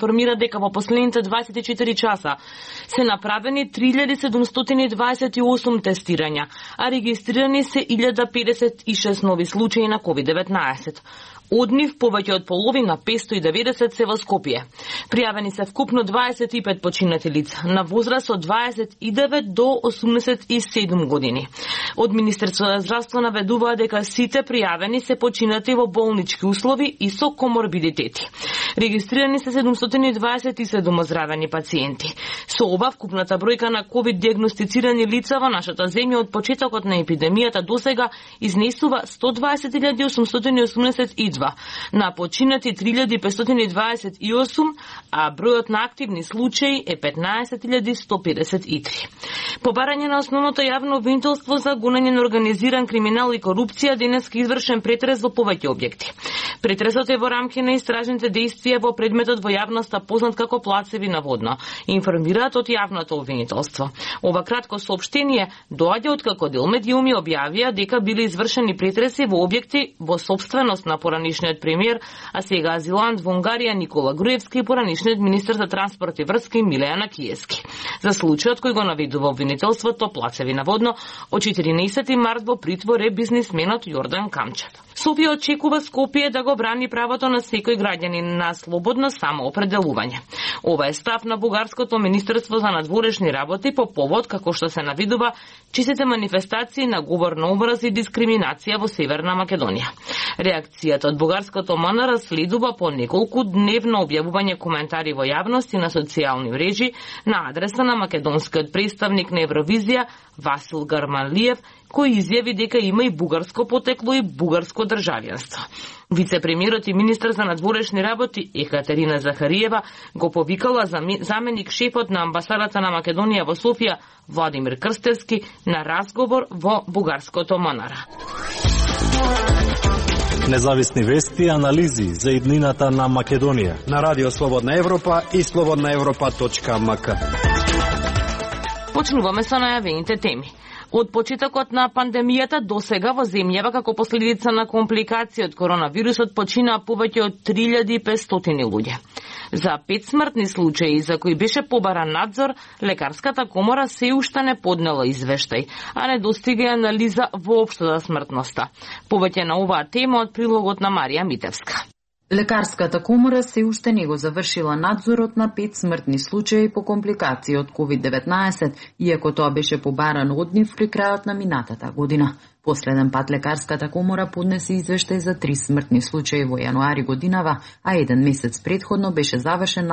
информира дека во последните 24 часа се направени 3728 тестирања, а регистрирани се 1056 нови случаи на COVID-19. Од нив повеќе од половина, 590 се во Скопје. Пријавени се вкупно 25 починати лица на возраст од 29 до 87 години. Од Министерството за здравство наведува дека сите пријавени се починати во болнички услови и со коморбидитети. Регистрирани се 727 оздравени пациенти. Со ова вкупната бројка на ковид диагностицирани лица во нашата земја од почетокот на епидемијата досега изнесува 120.882, на починати 3.528, а бројот на активни случаи е 15.153. По барање на основното јавно обвинителство за гонење на организиран криминал и корупција, денеска извршен претрес во повеќе објекти. Претресот е во рамки на истражните действија во предметот во јавноста познат како плацеви наводно, информираат од јавното обвинителство. Ова кратко соопштение доаѓа откако дел медиуми објавија дека биле извршени претреси во објекти во сопственост на поранишниот премиер, а сега азилант во Унгарија Никола Груевски и поранишниот министер за транспорт и врски Милејана Киевски. За случајот кој го наведува обвинителството плацеви наводно, од 14 март во притвор е бизнисменот Јордан Камчев. Софија очекува Скопје да го брани правото на секој граѓанин на слободно самоопределување. Ова е став на бугарското Министерство за надворешни работи по повод, како што се навидува, честите манифестации на говор на омраз и дискриминација во Северна Македонија. Реакцијата од бугарското МНР следува по неколку дневно објавување коментари во јавност и на социјални мрежи на адреса на македонскиот представник на Евровизија Васил Гарманлиев, кој изјави дека има и бугарско потекло и бугарско државјанство. Вице-премиерот и министер за надворешни работи Екатерина Захариева го повикала заменик шефот на амбасадата на Македонија во Софија Владимир Крстевски на разговор во бугарското МНР. Независни вести и анализи за иднината на Македонија на Радио Слободна Европа и slobodnaevropa.mk. Почнуваме со најавените теми. Од почетокот на пандемијата досега во земјава како последица на компликации од коронавирусот починаа повеќе од 3500 луѓе. За 5 смртни случаи за кои беше побаран надзор, лекарската комора се уште не поднела извештај, а не достига анализа воопшто за смртноста. Повеќе на оваа тема од прилогот на Марија Митевска. Лекарската комора се уште не го завршила надзорот на 5 смртни случаи по компликации од COVID-19, иако тоа беше побарано од нив при крајот на минатата година. Последен пат лекарската комора поднесе извештај за 3 смртни случаи во јануари годинава, а еден месец претходно беше завршен